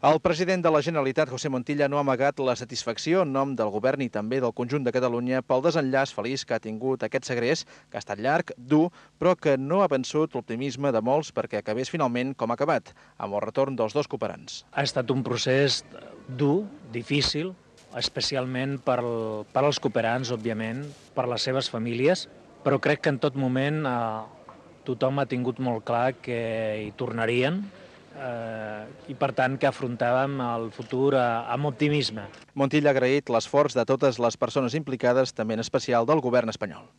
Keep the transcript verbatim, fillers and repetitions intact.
El president de la Generalitat, José Montilla, no ha amagat la satisfacció en nom del govern i també del conjunt de Catalunya pel desenllaç feliç que ha tingut aquest segrest, que ha estat llarg, dur, però que no ha vençut l'optimisme de molts perquè acabés finalment com ha acabat, amb el retorn dels dos cooperants. Ha estat un procés dur, difícil, especialment per, per als cooperants, òbviament, per les seves famílies, però crec que en tot moment eh, tothom ha tingut molt clar que hi tornarien, Eh, i per tant que afrontàvem el futur eh, amb optimisme. Montilla ha agraït l'esforç de totes les persones implicades, també en especial del govern espanyol.